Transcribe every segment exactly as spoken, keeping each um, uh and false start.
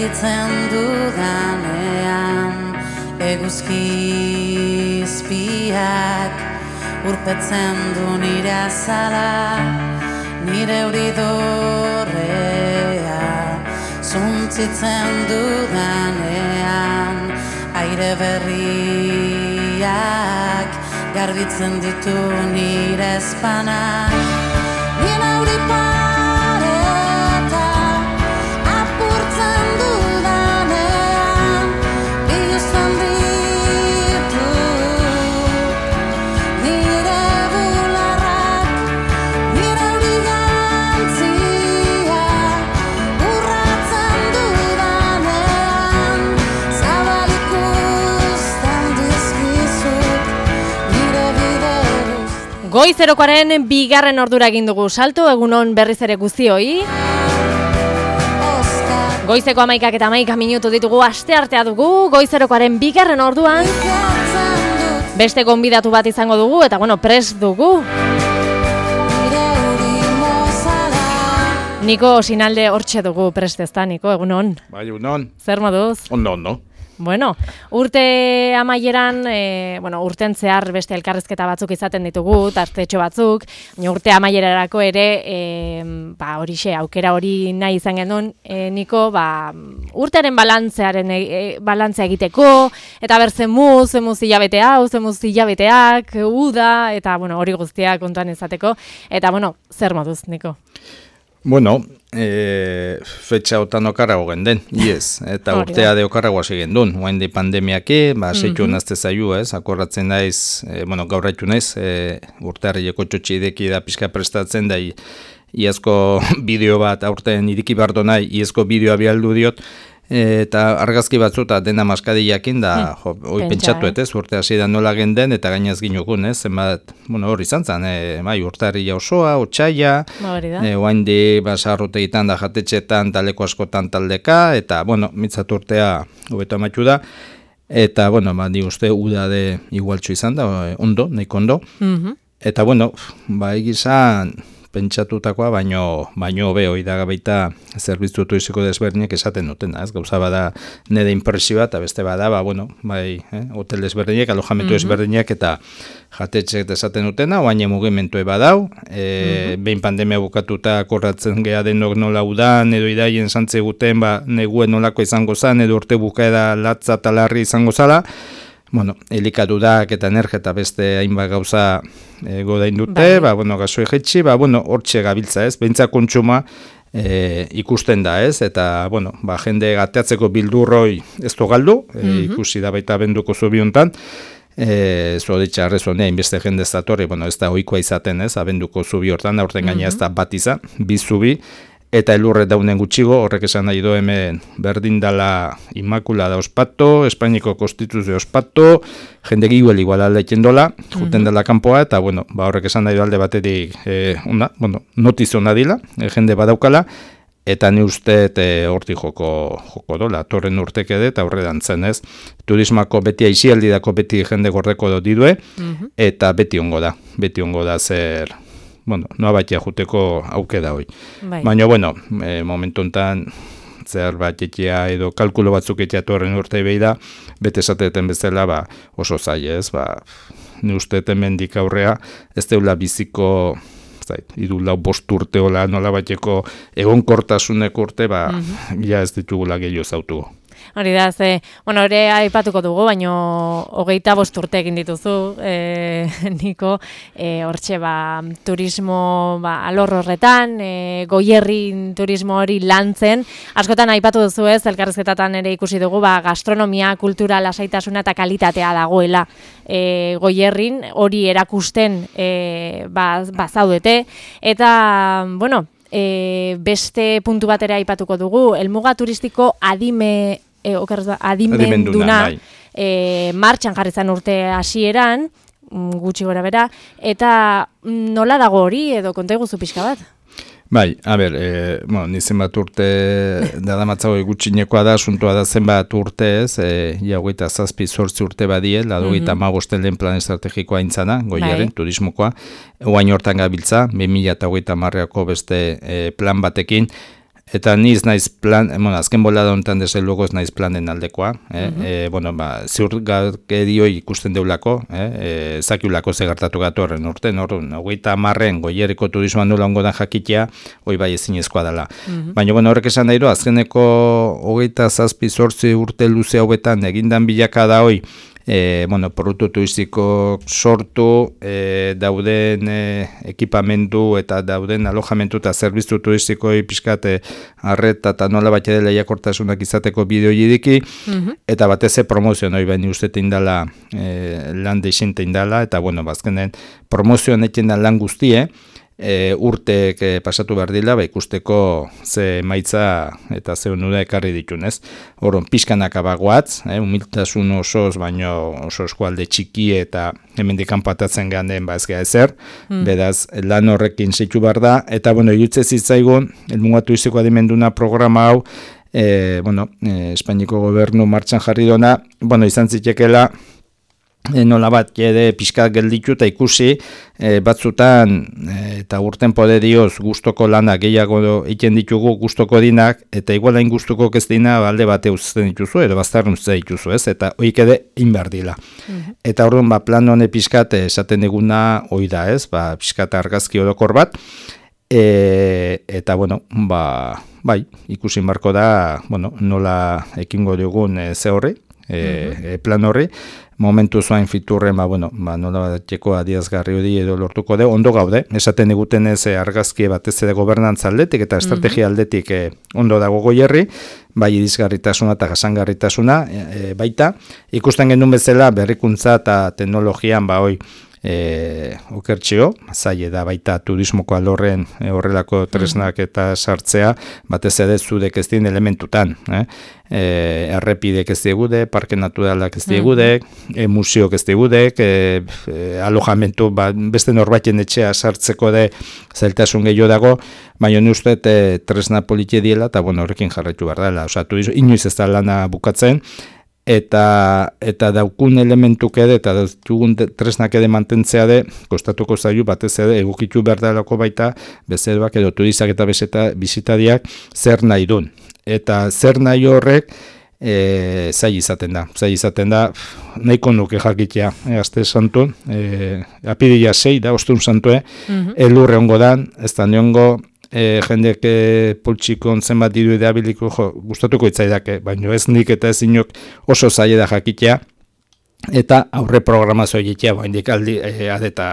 Sentitzen dudanean eguzkizpiak urpetzen du nire azala, nire euridorrea. Zuntzitzen dudanean aire berriak garbitzen ditu nire ezpanak. Nire euri pareta apurtzen dudanean biluzten ditu nire bularrak, nire euri jantziak urratzen dudanean zabal ikusten dizkizut nire bide guztiak. Goizerokoaren bigarren ordura egin dugu salto, egunon berriz ere guztioi. Goizeko amaikak eta amaika minutu ditugu, asteartea dugu, goizerokoaren bigarren orduan. Beste gonbidatu bat izango dugu, eta bueno, prest dugu. Niko Sinalde hortxe dugu prest ezta, Niko, egunon. Bai, egunon. Zer moduz? Ondo, ondo. Bueno, urte amaieran, e, bueno, urten zehar beste elkarrizketa batzuk izaten ditugu, tartetxo batzuk, baina urte amaierarako ere, e, ba, horixe, aukera hori nahi izan genuen, e, Niko, ba, urtearen balantzearen e, e, balantzea egiteko, eta ber zemuz, zemuz hilabete hau, zemuz hilabeteak, uda, eta, bueno, hori guztia kontuan izateko, eta, bueno, zer moduz, Niko? Bueno, e, fetxa otan okarrago genden, yes, eta urtea de okarragoa zigen duen, oain de pandemiake, ba, seitu nazte zaiu, ez, akorratzen daiz, e, bueno, gaur haitu naiz, e, urtearrieko txotxideki da pixka prestatzen da, iazko bideo bat, aurten iriki bardo nahi, iazko bideoa bialdu diot, eta argazki batzuta dena maskadiakin da, jo, hoi pentsatu, ez, urte hasi da nola genden, eta gainaz ginukun, ez, zenbat, bueno, hori izan zen, e, bai, urtarria osoa, otsaia, e, oain di, basarrute egiten da jatetxetan, taleko askotan taldeka, eta, bueno, mitzat urtea hobeto amaitu da, eta, bueno, ba, di uste, uda de igualtxo izan da, ondo, nahiko ondo, mm-hmm. Eta, bueno, ba, egizan, pentsatutakoa, baino baino hobe hori da baita zerbitzu turistiko desberdinek esaten dutena, ez? Gauza bada nire impresioa eta beste bada, ba bueno, bai, eh, hotel desberdinek, alojamentu desberdinek eta jatetxek esaten dutena, baina mugimendu badau, eh, behin pandemia bukatuta korratzen gea denok nola udan edo idaien santze guten, ba neguen nolako izango zen edo urte bukaera latza eta larri izango zala. Bueno, elikadurak eta energia eta beste hainbat gauza e, godain dute, ba, bueno, gasoe jetxi, ba, bueno, hortxe gabiltza, ez, behintzak kontsuma e, ikusten da, ez, eta, bueno, ba, jende gateatzeko bildurroi ez du galdu, e, mm-hmm. ikusi da baita benduko zubi hontan, e, zoditxa arrezonea, inbeste jende ez datorri, bueno, ez da ohikoa izaten, ez, abenduko zubi hortan, aurten gaina ez da bat izan, bi zubi, eta elurre daunen gutxigo, horrek esan nahi do hemen berdin dala Inmaculada ospato, Espainiko Konstituzio ospato, jende giguel igual aldaiken dola, juten dela kanpoa, eta bueno, ba horrek esan nahi do alde baterik, eh, una, bueno, notizo nadila, eh, jende badaukala, eta ni uste e, horti joko, joko dola, torren urtek edo eta horre dantzen, ez? Turismako beti aizialdidako beti jende gordeko do didue, mm-hmm. eta beti ongo da, beti ongo da zer... Bueno, noa batia juteko auke da hoi. Bai. Baina, bueno, e, momentu enten zer bat etia edo kalkulo batzuk etia torren urte behi da, bete esateten bezala ba, oso zai ez, ba, ni uste mendik aurrea, ez deula biziko, zait, idu lau bost urte hola nola bateko egonkortasunek urte, ba, mm-hmm. ja ez ditugula gehiago zautugu. Hori da, ze, bueno, hori aipatuko dugu, baino hogeita bost urte egin dituzu, e, Niko, e, hortxe, ba, turismo, ba, alor horretan, e, goierrin turismo hori lantzen, askotan aipatu duzu ez, elkarrizketatan ere ikusi dugu, ba, gastronomia, kultura, lasaitasuna eta kalitatea dagoela e, goierrin, hori erakusten e, ba, ba, zaudete, eta, bueno, e, beste puntu batera aipatuko dugu, helmuga turistiko adime, E, okerrez, adimenduna bai. e, martxan jarri zen urte hasieran, gutxi gora bera, eta nola dago hori edo konta iguzu pixka bat? Bai, a ber, e, bueno, ni zenbat urte dadamatzago gutxinekoa da, asuntoa da zenbat urte ez, e, ja hogeita zazpi zortzi urte badie, ladogeita hamabosten lehen plan estrategikoa intzana, goiaren, bai. Turismokoa, oain hortan gabiltza, bi mila hogeita hamareko beste e, plan batekin, Eta niz naiz plan, bueno, azken bolada honetan desde luego ez naiz planen aldekoa, eh? Mm-hmm. e, bueno, ba, ziurgakerio ikusten deulako, eh? e, zakiulako ze gertatu gatorren urten, orduan, hogeita hamarren goierriko turismoan nola ongo da jakitea, hoi bai ezinezkoa dela. Mm-hmm. Baina, bueno, horrek esan dairo, azkeneko hogeita zazpi zortzi urte luze hauetan egindan bilaka da hoi, E, bueno, produktu turistiko sortu, e, dauden e, ekipamendu eta dauden alojamentu eta zerbitzu turistikoi pixkate arreta eta nola bat ere lehiakortasunak izateko bideo idiki, mm-hmm. eta batez promozio noi baini uste teindala e, lan deixin teindala, eta bueno, bazkenen promozioan eten da lan guztie, E, urteek e, pasatu behar dila, ba, ikusteko ze maitza eta ze onura ekarri ditunez. Horon, pixkanak abagoatz, eh, humiltasun osoz, baino oso eskualde txiki eta hemendik kanpatatzen ganden ba ez gea ezer, mm. Beraz, lan horrekin zeitu behar da, eta, bueno, irutze zitzaigun, elmugatu iziko adimenduna programa hau, e, bueno, e, Espainiko gobernu martxan jarri dona, bueno, izan zitekela, E, nola bat, jede pixka gelditu eta ikusi, e, batzutan e, eta urten poderioz gustoko lanak gehiago egiten ditugu gustoko dinak, eta igualain gustuko ez dina alde bate uzten dituzu, edo baztarren uzten dituzu, ez? Eta hoik ede inberdila. Mm-hmm. Eta orduan, ba, plan hone pixkat esaten eguna hoi da, ez? Ba, pixkat argazki odokor bat, e, eta, bueno, ba, bai, ikusin barko da, bueno, nola ekingo dugun e, ze horri, e, mm-hmm. plan horri, momentu zoain fiturren, ba, bueno, ba, nola bateko adiazgarri hori edo lortuko de, ondo gaude, esaten eguten ez argazki batez ere gobernantza aldetik eta estrategia aldetik eh, ondo dago goierri, bai irizgarritasuna eta jasangarritasuna e, baita, ikusten genuen bezala berrikuntza eta teknologian ba hoi, E, okertxeo, zaila da baita turismoko alorren e, horrelako tresnak eta sartzea, batez ere zudek ez dien elementutan. Eh? E, errepidek ez diegude, parke naturalak ez diegudek, e, museok ez diegudek, e, e, alojamentu ba, beste norbaiten etxea sartzeko de zailtasun gehiago dago, baina ni uste e, tresna politie diela, eta bueno, horrekin jarraitu behar dela. Osa, turismo, inoiz ez da lana bukatzen, eta eta daukun elementuk ere eta dugun tresnak ere mantentzea de kostatuko zailu batez ere egokitu behar dalako baita bezeroak edo turistak eta bezeta bizitariak zer nahi dun. Eta zer nahi horrek e, zai izaten da. Zai izaten da, nahiko nuke jakitea, e, aste santu, e, apiria sei da, ostun santue, mm-hmm. elurre ongo dan, ez da niongo, E, jendek e, poltsikon zenbat diru edabiliko jo, gustatuko itzaidake, baina ez nik eta ez inok oso zaila da jakitea, eta aurre programazio egitea, baina aldi e, adeta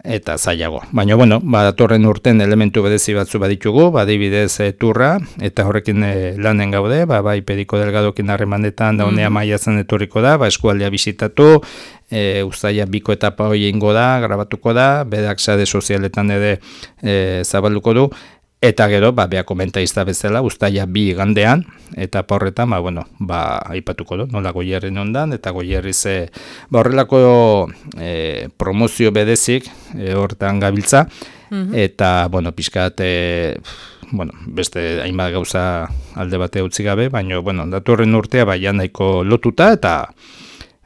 eta zailago. Baina, bueno, badatorren urten elementu bedezi batzu baditugu, badibidez e, turra, eta horrekin e, lanen gaude, ba, bai Pediko Delgadokin harremanetan da honea mm-hmm. maiatzen etorriko da, ba, eskualdea bisitatu, E, ustaia biko etapa hori ingo da, grabatuko da, bedak sare sozialetan ere e, zabalduko du, eta gero, ba, beha komentaizta bezala, ustaia bi gandean, eta horretan, ba, bueno, ba, aipatuko du, nola goierren ondan, eta goierri ze, ba, horrelako e, promozio bedezik, e, horretan gabiltza, mm-hmm. eta, bueno, pixkat, e, bueno, beste hainbat gauza alde bate utzi gabe, baina, bueno, datorren urtea, ba, ja nahiko lotuta, eta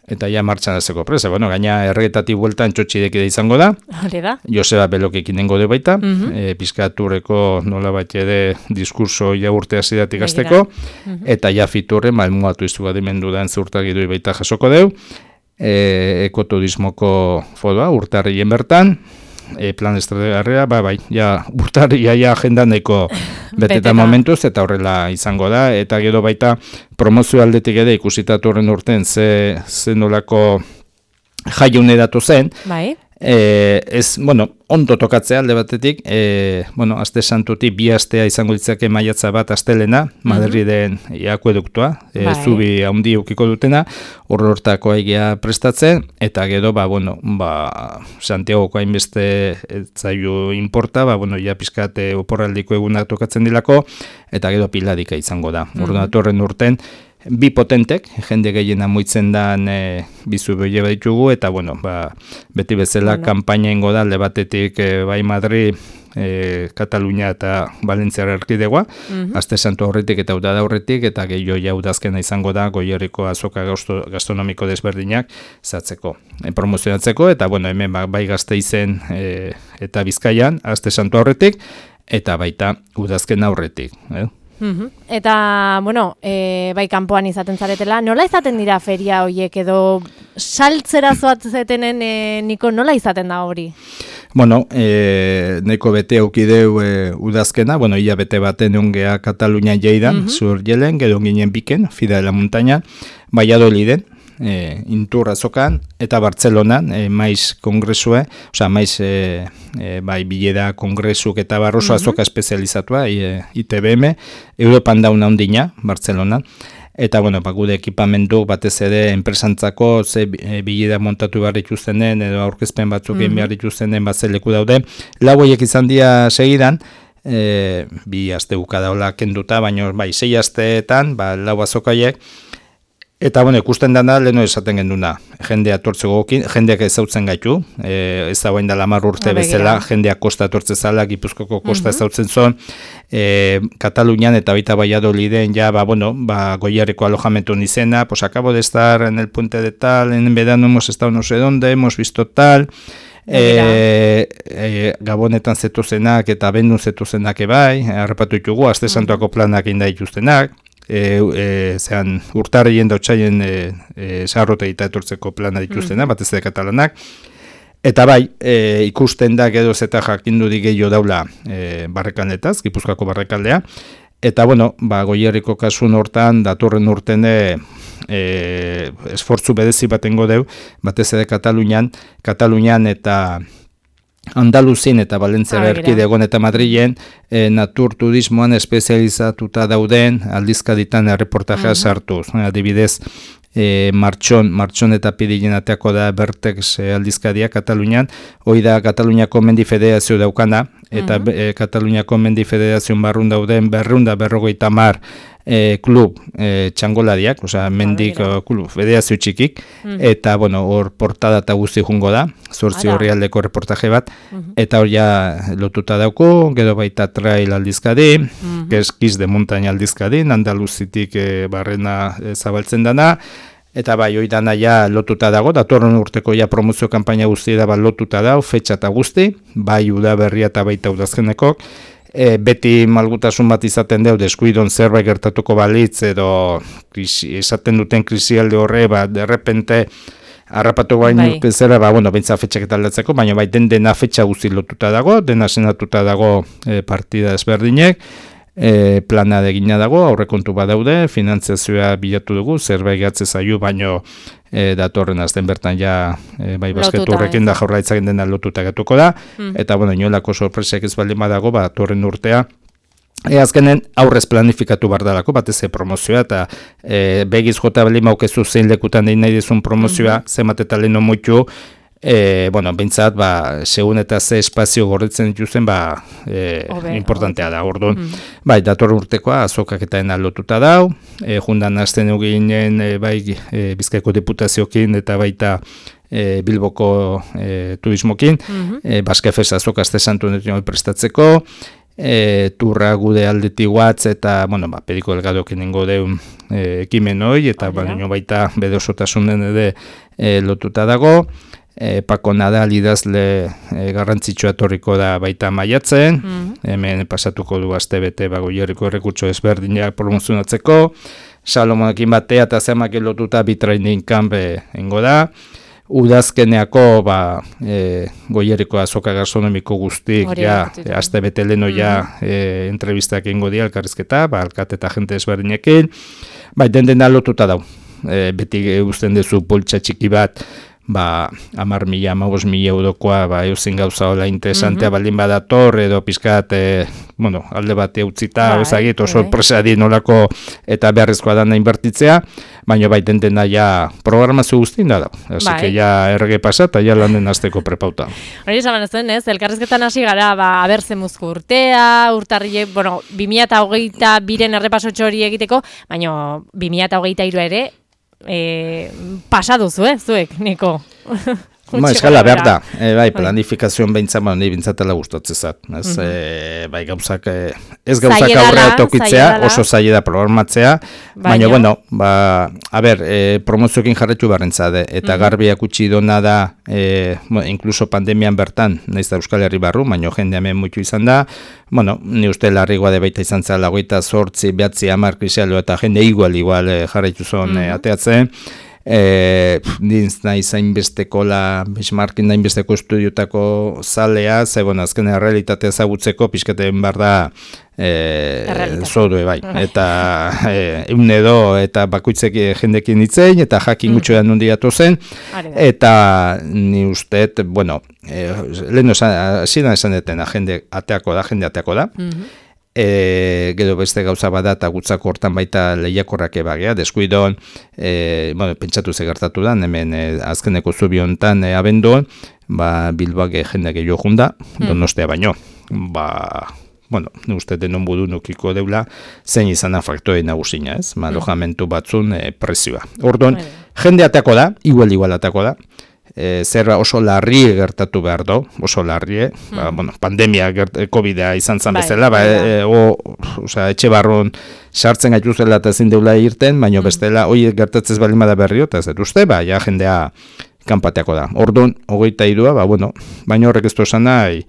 eta ja martxan azeko presa. Bueno, gaina erregetatik bueltan txotxidek izango da. Hore da. Joseba Belokekin nengo de baita. Mm-hmm. E, Piskaturreko nola bat ere diskurso ja urtea zidatik azteko. Mm-hmm. Eta ja fiturren, malmuatu izu adimendu den zurtagidoi baita jasoko deu. E, ekoturismoko fodoa, urtarrien bertan. E, plan estrategarria, ba, bai, ja, urtarria ja agendaneko beteta momentuz, eta horrela izango da, eta gero baita promozio aldetik ere ikusitatu horren urten ze, ze nolako jaiune datu zen, bai. E, ez, bueno, ondo tokatzea alde batetik, e, bueno, aste santutik bi astea izango ditzake maiatza bat astelena, mm-hmm. Madriden akueduktua, e, bai. Zubi handi eukiko dutena, horrortako aigia prestatzen, eta gero, ba, bueno, ba, Santiagoko hainbeste zailu importa, ba, bueno, ja pizkate oporraldiko egunak tokatzen dilako, eta gero piladika izango da. Mm-hmm. Orduan horren urten, bi potentek, jende gehiena moitzen dan e, bizu behile baditugu, eta bueno, ba, beti bezala bueno. Kanpaina ingo da, alde batetik e, bai Madri, e, Katalunia eta Valentziara erkidegoa, mm-hmm. aste santu horretik eta udada horretik, eta gehiago jaudazkena izango da, Goierriko azoka gastronomiko desberdinak zatzeko, e, promozionatzeko, eta bueno, hemen ba, bai Gasteizen e, eta Bizkaian, aste santu horretik, eta baita udazken aurretik. Eh? Uhum. Eta, bueno, e, bai kanpoan izaten zaretela, nola izaten dira feria horiek edo saltzera zoatzetenen e, niko nola izaten da hori? Bueno, e, neko bete aukideu e, udazkena, bueno, ia bete baten eungea Katalunia jaidan, uh-huh. zur jelen, gero ginen biken, Fida de la Montaña, Valladoliden, e, Intur azokan, eta Bartzelonan, e, maiz kongresue, osea, maiz e, e, bai bileda kongresuk eta barroso uh-huh. azoka espezializatua, e, I T B M, Europan dauna ondina, Bartzelonan. Eta, bueno, ba, gude ekipamendu batez ere enpresantzako ze e, bileda montatu behar dituztenen edo aurkezpen batzuk egin mm-hmm. behar dituztenen bat ze leku daude. Lau horiek izan dira segidan, e, bi aste buka daula kenduta, baina bai, sei asteetan, ba, lau azokaiek. Eta, bueno, ikusten dana, leheno esaten genduna, jendea tortze gogokin, jendeak ezautzen gaitu, e, ez da guain dala mar urte bezala, jendeak kosta tortze zala, Gipuzkoko kosta uh-huh. ezautzen zon, e, Katalunian eta baita Valladoliden, ja, ba, bueno, ba, goiareko alojamentu nizena, pues acabo de estar en el puente de tal, en verano hemos estado no sé dónde, hemos visto tal, e, e, Gabonetan zetuzenak eta Bendun zetuzenak ebai, harrapatu ditugu, Aste Santuako planak inda dituztenak, E, e, zean urtarrien dautxaien e, e, sarrote eta etortzeko plana dituztena, mm-hmm. batez ere katalanak. Eta bai, e, ikusten da gero zeta jakindudik gehiago daula e, barrekaldeetaz, Gipuzkoako barrekaldea. Eta bueno, ba, Goierriko kasun hortan, datorren urtene e, esfortzu bedezi batengo deu, batez ere Katalunian, Katalunian eta Andaluzin eta Valentzia erkidegon eta Madrilen e, naturturismoan espezializatuta dauden aldizkaditan erreportajea uh-huh. sartuz. Adibidez, e, martxon, martxon eta pidilin ateako da Bertex e, aldizkadia Katalunian, hoi da Kataluniako Mendi Federazio daukana, eta uh-huh. e, Kataluniako Mendi Federazioan barrun dauden berrunda berrogeita mar E, klub e, txangoladiak, osea, mendik uh, klub federazio txikik, mm. eta, bueno, hor portada eta guzti jungo da, zortzi horri aldeko reportaje bat, mm-hmm. eta hor ja lotuta dauko, gero baita trail aldizkadi, mm-hmm. eskiz de montaña aldizkadi, Andaluzitik e, barrena e, zabaltzen dana, eta bai, hoi dana ja lotuta dago, datorren urteko ja promozio kanpaina guzti da bat lotuta dago, fetxa eta guzti, bai udaberria eta baita udazkenekok, E, beti malgutasun bat izaten deu, deskuidon zerbait gertatuko balitz, edo krisi, esaten duten krisialde horre, ba, derrepente, harrapatu bain bai. Zera, ba, bueno, bentsa fetxak eta aldatzeko, baina bai, den dena fetxa guzti lotuta dago, dena senatuta dago e, partida ezberdinek, e, plana egina dago, aurrekontu badaude, finantziazioa bilatu dugu, zerbait gatze zaio, baino e, datorren azten bertan ja e, bai basketu horrekin da jaurlaritzaren dena lotuta gatuko da, mm. eta bueno, inolako sorpresek ez baldin badago, ba, datorren urtea, E, azkenen aurrez planifikatu bardalako, batez promozioa, eta e, begiz jota bali maukezu zein lekutan dein nahi dizun promozioa, mm-hmm. zemat eta leheno moitu, e, bueno, bintzat, ba, segun eta ze espazio gorritzen dituzten, ba, e, Obe, importantea da, orduan. Mm-hmm. Bai, dator urtekoa, azokak eta ena lotuta dau, e, jundan azten eginen, e, bai, e, Bizkaiko Diputaziokin, eta baita, e, Bilboko e, turismokin, mm-hmm. e, Baskefes azoka Aste Santu netuen prestatzeko, E, turra gude aldeti guatz eta, bueno, ba, pediko delgadokin ingo deun e, ekimen hoi, eta ba, baita bede osotasunen ere e, lotuta dago, e, Pako Nadal idazle e, garrantzitsua etorriko da baita maiatzen, mm-hmm. hemen pasatuko du astebete ba, Goierriko errekurtso ezberdinak promozionatzeko, Salomonekin batea eta zemak lotuta bi training camp ingo da, udazkeneako ba, e, Goierriko azoka gastronomiko guztik, ja, e, aste bete leno ja mm-hmm. e, entrevistak ingo dia, elkarrizketa, ba, alkate eta jente ezberdinekin, bai, den dena lotuta dau, e, beti guztien dezu poltsa txiki bat, ba, amar mila, amabos mila eurokoa, ba, eusin gauza hola interesantea mm-hmm. baldin badator, edo pizkat, e, bueno, alde bat eutzita, ba, ezagit, oso sorpresa di nolako eta beharrezkoa dana inbertitzea, baina bai den dena ja programazio guztien da da, así bai. Que ja errege pasa eta ja landen azteko prepauta. Hori esan zen, ez, elkarrizketan hasi gara, ba, abertze muzko urtea, urtarrile, bueno, bi mila hogeita biren errepasotxo hori egiteko, baina bi mila hogeita hiru ere, E, pasa duzu, eh, zuek, Niko? Ma, eskala behar da, e, bai, planifikazioan behintzat, ba, nahi bintzatela gustatzezat. Ez, mm -hmm. e, bai, gauzak, e, ez gauzak aurrera tokitzea, oso zaila da programatzea, baina, bueno, ba, a ber, e, promozioekin jarretu barrentzade, eta mm -hmm. garbiak utzi dona da, e, bueno, inkluso pandemian bertan, nahiz da Euskal Herri barru, baina jende hemen muitu izan da, bueno, ni uste larrigoa de baita izan zela, goita sortzi, behatzi, amar, krisialo, eta jende igual, igual, e, jarretu zon mm -hmm. e, ateatzen, E, dintz nahi zainbesteko la benchmarking dainbesteko estudiotako zalea, ze bueno, azken errealitatea ezagutzeko pixkaten behar da e, zodue bai, eta e, eun edo eta bakoitzek jendekin itzein, eta jakin gutxoan mm. nundi gatu zen, eta ni usteet, bueno, e, lehen zidan esan detena, jende ateako da, jende ateako da, mm-hmm. E, gero beste gauza bada eta gutzako hortan baita lehiakorrake bagea, deskuidon, e, bueno, pentsatu ze gertatu da, hemen e, azkeneko zubi honetan e, abenduan, ba, Bilboak jende gehiago junda, hmm. Donostea baino, ba, bueno, uste denon budu nukiko deula, zein izan faktore nagusina, ez, ma, alojamentu batzun e, prezioa. Orduan, jende ateako da, igual igual ateako da, E, zer oso larri gertatu behar do, oso larri, mm. ba, bueno, pandemia, COVID-a izan zan bezala, ba, e, o, osea, etxe barron sartzen gaituzela eta ezin deula irten, baina mm. bestela, hoi gertatzez balima da berrio, eta ez dut uste, ba, ja jendea kanpateako da. Orduan, hogeita irua, ba, bueno, baina horrek ez du esan nahi,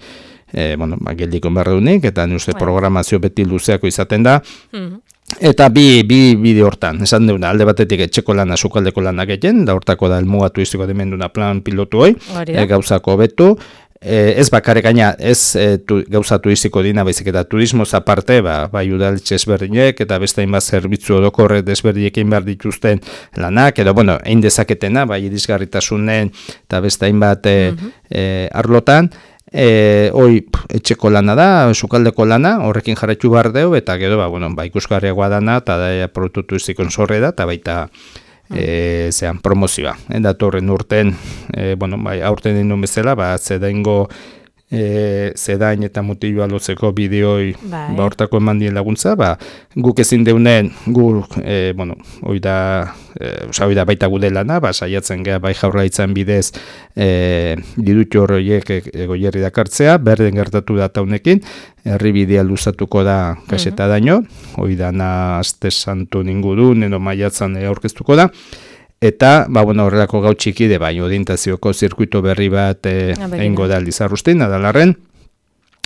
e, bueno, ba, geldiko berreunik, eta ni uste programazio beti luzeako izaten da, mm. Eta bi, bi bide hortan, esan deuna, alde batetik etxeko lana, sukaldeko lanak egin, da hortako da elmuga turistiko demenduna plan pilotu hoi, e, gauzako betu, e, ez bakarrik gaina, ez e, tu, gauza turistiko dina, baizik eta turismoz aparte, ba, bai udaletxe ezberdinek, eta beste hainbat zerbitzu odokorre desberdinekin behar dituzten lanak, edo, bueno, egin dezaketena, bai irisgarritasunen, eta beste hainbat e, mm-hmm. e, arlotan, E, hoi etxeko lana da, sukaldeko lana, horrekin jarraitu behar deu, eta gero, ba, bueno, ba, ikusgarriagoa dana, eta da produktu turistikoen zorre da, eta baita e, zean promozioa. E, datorren urten, e, bueno, bai, aurten dindun bezala, ba, zedaingo e, zedain eta mutiloa lotzeko bideoi bai. Ba, hortako eman dien laguntza, ba, guk ezin deunen, guk, e, bueno, hoi da, e, oza, hoi da baita gude lana, ba, saiatzen geha bai jaurlaritzan bidez e, dirutu horiek e, goierri dakartzea, berden gertatu da taunekin, herribidea luzatuko da kaseta mm-hmm. daño, hoi dana aste santu ningudun, edo maiatzan e, aurkeztuko da, eta, ba, bueno, horrelako gau txikide, bai, orientazioko zirkuito berri bat egingo da Lizarrustin, adalarren,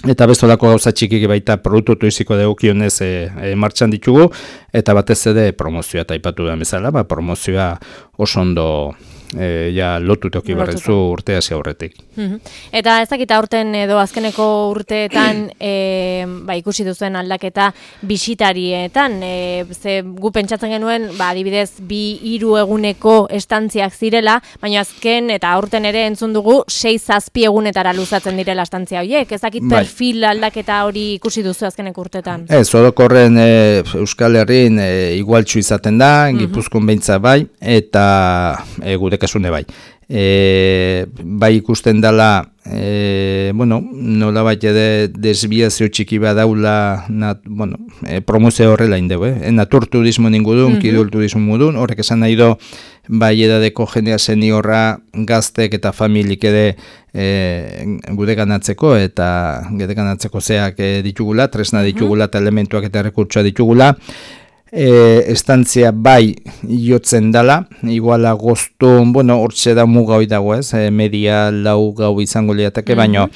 eta bestolako gauza txikik baita produktu turistiko degokionez e, e, martxan ditugu, eta batez ere promozioa eta aipatu da bezala, ba, promozioa oso ondo e, ja lotu toki barrezu urte hasi aurretik. Mm-hmm. Eta ez dakita urten edo azkeneko urteetan e, ba, ikusi duzuen aldaketa bisitarietan, e, ze gu pentsatzen genuen, ba, adibidez, bi hiru eguneko estantziak zirela, baina azken eta aurten ere entzun dugu sei zazpi egunetara luzatzen direla estantzia horiek. Ez dakit perfil aldaketa hori ikusi duzu azkeneko urteetan. Ez, orokorren e, Euskal Herrin e, igualtxu izaten da, mm-hmm. Gipuzkoan beintza bai, eta e, gure kasune bai. E, bai ikusten dela, e, bueno, nola bat ede desbiazio txiki badaula, nat, bueno, e, promozio horrela indeu, eh? Natur turismo ningudun, mm-hmm. Kidul turismo mudun, horrek esan nahi do, bai edadeko jendea seniorra, gaztek eta familik ede e, gude ganatzeko, eta gude ganatzeko zeak e, ditugula, tresna ditugula, eta elementuak eta rekurtsoa ditugula, E, estantzia bai jotzen dala, iguala goztun, bueno, hortxe da muga hoi dago ez, e, media lau gau izango liateke, mm-hmm. baino,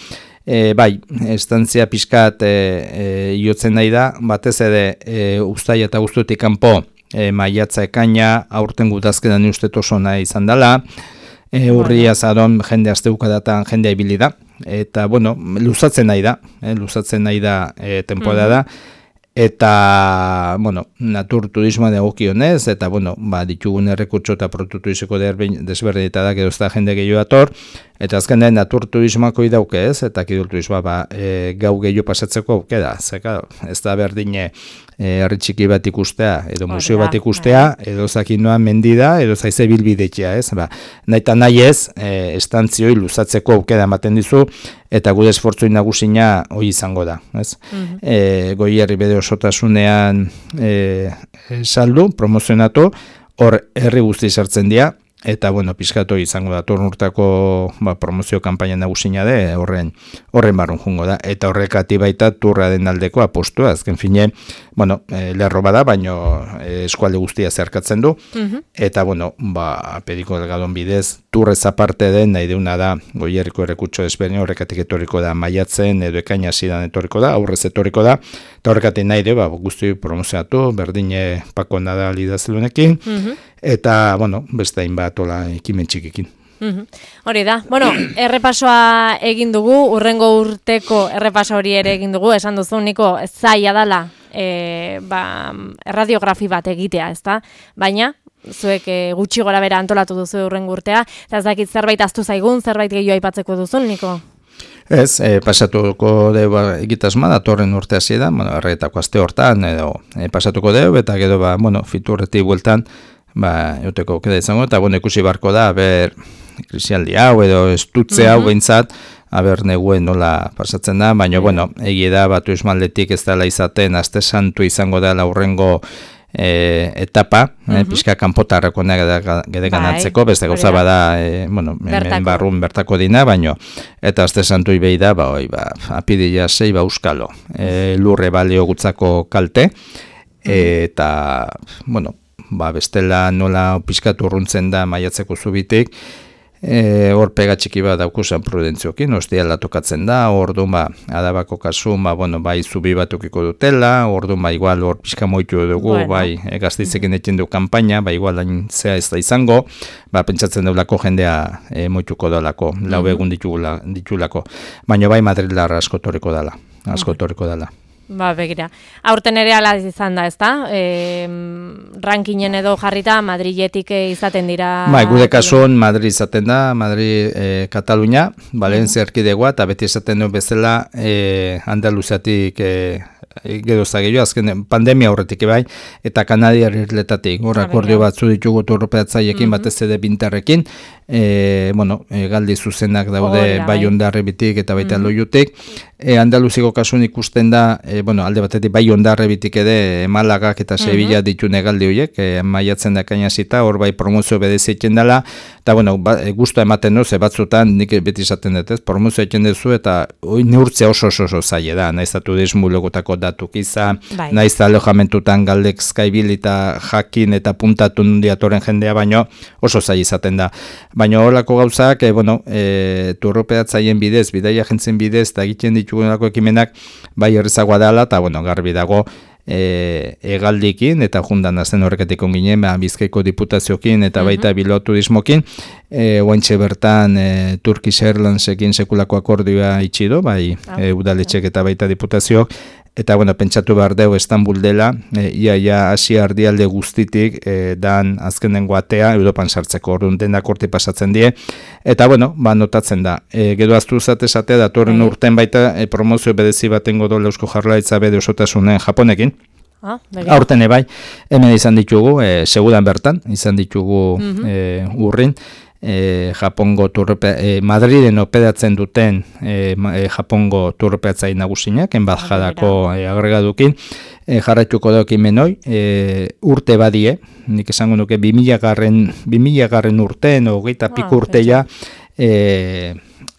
e, bai, estantzia pixkat e, e, jotzen nahi da, batez ere e, uztai eta guztutik kanpo e, maiatza ekaina, aurten gutazkedan ustet oso nahi izan dala, e, urria zaron jende asteukadatan jendea ibili da, eta, bueno, luzatzen nahi da, e, luzatzen nahi da e, temporada da, mm-hmm. Eta, bueno, natur turismoa degokionez, eta, bueno, ba, ditugun errekurtso eta produktu izeko desberdin eta da, edo ez da jende gehiago ator, eta azken da, natur turismoako idauke ez, eta kidul turismoa, ba, e, gau gehiago pasatzeko auke da, zeka, ez da berdine herri txiki bat ikustea, edo museo bat ikustea, edo zakinoa mendida, edo zaize bilbidetxea, ez, ba, nahi eta nahi ez, e, estantzioi luzatzeko auke da ematen dizu, eta gure esfortzoi nagusina hoi izango da, ez? Mm-hmm. E, goierri bede osotasunean e, saldu, promozionatu, hor herri guzti sartzen dira, eta bueno, pizkatu izango da torn urtako ba, promozio kanpaina nagusina de horren horren barrun jungo da eta horrekati baita turra den aldeko apostua azken fine bueno, e, lerro bada baino e, eskualde guztia zeharkatzen du uh-huh. eta bueno, ba pediko delgadon bidez turrez aparte den nahi deuna da Goierriko erekutxo ezberdin horrekatik etorriko da maiatzen edo ekaina zidan etorriko da aurrez etorriko da eta horrekatik nahi de ba guzti promozionatu berdine Pako Nadal idazlunekin uh-huh. eta bueno, beste hainbat ola ekimen txikekin. Uhum. Hori da, bueno, errepasoa egin dugu, urrengo urteko errepaso hori ere egin dugu, esan duzu niko zaila dala e, ba, erradiografi bat egitea, ezta? Baina, zuek e, gutxi gora bera antolatu duzu urrengo urtea, eta ez dakit zerbait aztu zaigun, zerbait gehiago aipatzeko duzun, niko? Ez, e, pasatuko deu ba, egitasma datorren urte hasi da, bueno, erretako aste hortan, edo e, pasatuko deu, eta gero, ba, bueno, fiturretik bueltan, ba, euteko keda izango, eta bueno, ikusi barko da, ber, krisialdi hau edo estutze hau uh-huh. behintzat, aber neguen nola pasatzen da, baina, bueno, egia da, batu esmaldetik ez dela izaten, aste santu izango da laurrengo e, etapa, uh-huh. e, pixka kanpotarreko gedekan antzeko, beste gauza bada, e, bueno, hemen barrun bertako dina, baina, eta aste santu ibei da, ba, oi, ba, apidila sei, ba, euskalo, e, lurre balio gutzako kalte, e, eta, bueno, ba, bestela nola pizkatu urruntzen da maiatzeko zubitik, e, hor pega txiki bat daukusan prudentziokin, ostiala tokatzen da, orduan ba, adabako kasu, ba, bueno, bai zubi batukiko dutela, orduan ba, igual hor pizka moitu dugu, bueno. bai e, gaztitzekin ekin du kanpaina, ba, igual hain zea ez da izango, ba, pentsatzen deulako jendea e, moituko dolako, lau egun ditugula, ditulako, baina bai Madrilar asko torriko dala, asko torriko dala. Ba, begira. Aurten ere ala izan da, ezta? E, rankinen edo jarrita Madriletik izaten dira... Ba, gude kasuan Madrid izaten da, Madrid e, Katalunia, Valencia uh-huh. erkidegoa, eta beti izaten duen bezala e, Andaluziatik e, gero zageio, azken pandemia horretik bai, eta Kanadiar irletatik, hor akordio batzu ditugu turropeatzaiekin uh-huh. batez ere bintarrekin, e, bueno, e, galdi zuzenak daude oh, bai ondarrebitik eta baita uh-huh. loiutik, e, Andaluziko kasun ikusten da, e, bueno, alde batetik bai ondarrebitik ere e, Malagak eta Sevilla uh-huh. ditune galdi horiek, e, maiatzen da kainazita, hor bai promozio bedezietzen dela, eta bueno, ba, e, guztua ematen duz, e, batzutan nik beti izaten dut, ez, promozio egiten duzu, eta oi, neurtzea oso oso oso zaila da, nahiz atu desmulogotako datuk izan, bai. Nahiz alojamentutan galdek skaibil eta jakin eta puntatu diatoren jendea, baino oso zaila izaten da. Baina horlako gauzak, e, bueno, e, turropeatzaien bidez, bidaia jentzen bidez, eta egiten ditugunako ekimenak, bai errezagoa dela, eta bueno, garbi dago, E, egaldikin eta jundan azten horreketik onginen, ba, Bizkaiko diputaziokin eta baita uh-huh. Bilbao turismokin, e, oaintxe bertan e, Turkish Airlinesekin sekulako akordioa itxido, bai ah, e, udaletxek eta baita diputaziok, eta bueno, pentsatu behar deu Istanbul dela, e, ia ia Asia ardialde guztitik e, dan azkenengo atea Europan sartzeko, orduan denak horti pasatzen die, eta bueno, ba, notatzen da. E, gero aztu zate esatea, datorren mm. urten baita e, promozio bedezi batengo dola Eusko Jaurlaritza bede osotasunen Japonekin, ah, aurten ebai, hemen izan ditugu, e, segudan bertan, izan ditugu mm-hmm. e, urrin, E, Japongo turrope, e, Madriden opedatzen duten e, e, Japongo turropeatzai nagusinak, enbadjadako e, agregadukin, e, jarraituko daukin menoi, e, urte badie, nik esango nuke bi mila garren urteen, hogeita piku urteia, e,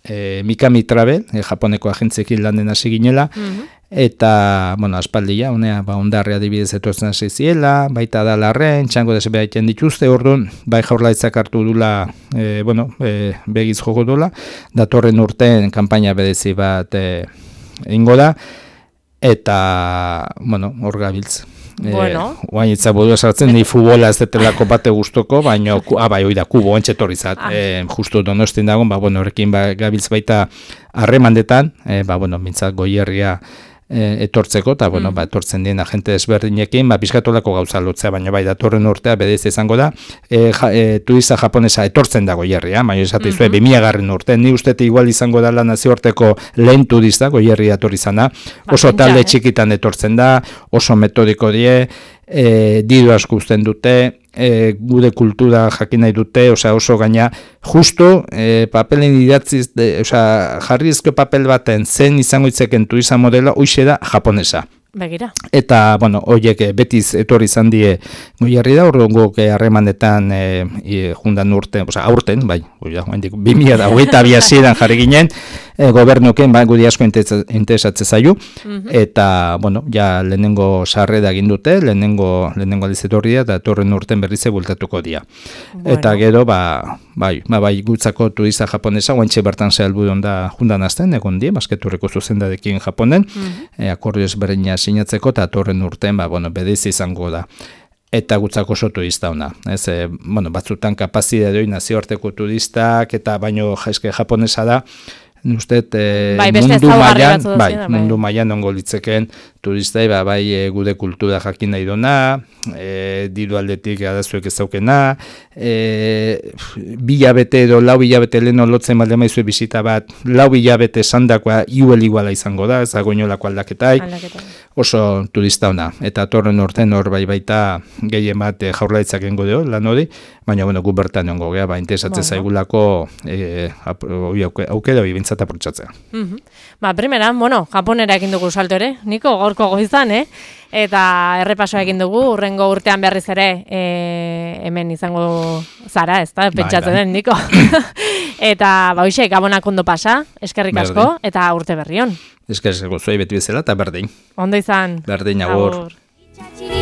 e, Mikami Travel, e, Japoneko agentzekin landen hasi ginela, mm-hmm. eta, bueno, aspaldia, honea, ba, ondarre adibidez etortzen hasi ziela, baita da larren, txango desebe haiten dituzte, orduan, bai Jaurlaritzak hartu dula, e, bueno, e, begiz joko dula, datorren urten kanpaina bedezi bat e, ingo da, eta, bueno, hor gabiltz. Bueno. E, Oain itza bodu esartzen, ni futbola ez detelako bate guztoko, baina, ah, bai, oida, kubo, entxetorrizat, ah. e, justu donostin dagoen, ba, bueno, horrekin ba, gabiltz baita harremandetan, e, ba, bueno, mintzat Goierria e, etortzeko, eta, bueno, mm. ba, etortzen dien agente desberdinekin, ba, bizkatolako gauza lotzea, baina bai, datorren urtea bedez izango da, e, ja, e, turista japonesa etortzen da Goierria, baina esate izue, mm-hmm. bi mila garren urte, ni ustete igual izango da nazioarteko lehen turista, Goierria etorri zana, oso ba, talde txikitan etortzen da, oso metodiko die, e, diru asko uzten dute, e, gude kultura jakin nahi dute, osea oso gaina, justo e, papelen idatziz, de, osea jarrizko papel baten zen izango itzeken turismo modelo, hoixe da japonesa. Begira. Eta, bueno, horiek betiz etorri izan die Goierri da, orduan guk harremanetan e, e, jundan urten, oza, aurten, bai, bi mila hogeita bi hasieran jarri ginen, e, gobernuken, bai, gudi asko interesatze zaiu, mm-hmm. eta, bueno, ja lehenengo sarrera egin dute, lehenengo, lehenengo aldiz etorri da, eta torren urten berrize bultatuko dira. Bueno. Eta gero, ba, bai, ba, bai, gutzako turista japonesa, guantxe bertan zehalbudon da jundan azten, egon die, basketurreko zuzendadekin Japonen, mm-hmm. e, akordio ezberdina sinatzeko, eta torren urten, ba, bueno, bedeiz izango da. Eta gutzako oso turista ona. Ez, e, bueno, batzutan kapazitatea doi nazioarteko turistak, eta baino jaizke japonesa da, uste, e, bai, mundu mailan, bai, mundu mailan ongo litzekeen turistai, ba, bai, e, gude kultura jakin nahi dona, e, diru aldetik arazuek ez daukena, e, bilabete edo lau bilabete lehen lotzen balde maizue bisita bat, lau bilabete sandakoa iuel iguala izango da, ez agoinolako aldaketai, Aldaketa. Oso turista ona. Eta torren urten hor bai baita gehien bat e, jaurlaritzak engo deo, lan hori, baina, bueno, gu bertan ongo gea, ba, interesatzen bueno. zaigulako e, aukera hori bintzat aprotxatzea. Mm-hmm. Ba, primera, bueno, Japonera egin dugu salto ere, Niko, gorko goizan, eh? Eta errepasoa egin dugu, urrengo urtean berriz ere e, hemen izango zara, ez da, pentsatzen den, Niko. Eta, ba, hoxe, gabonak ondo pasa, eskerrik asko, berdin. Eta urte berrion. Eskerrik asko zuei beti bezala, eta berdin. Ondo izan. Berdin, agur. Agur.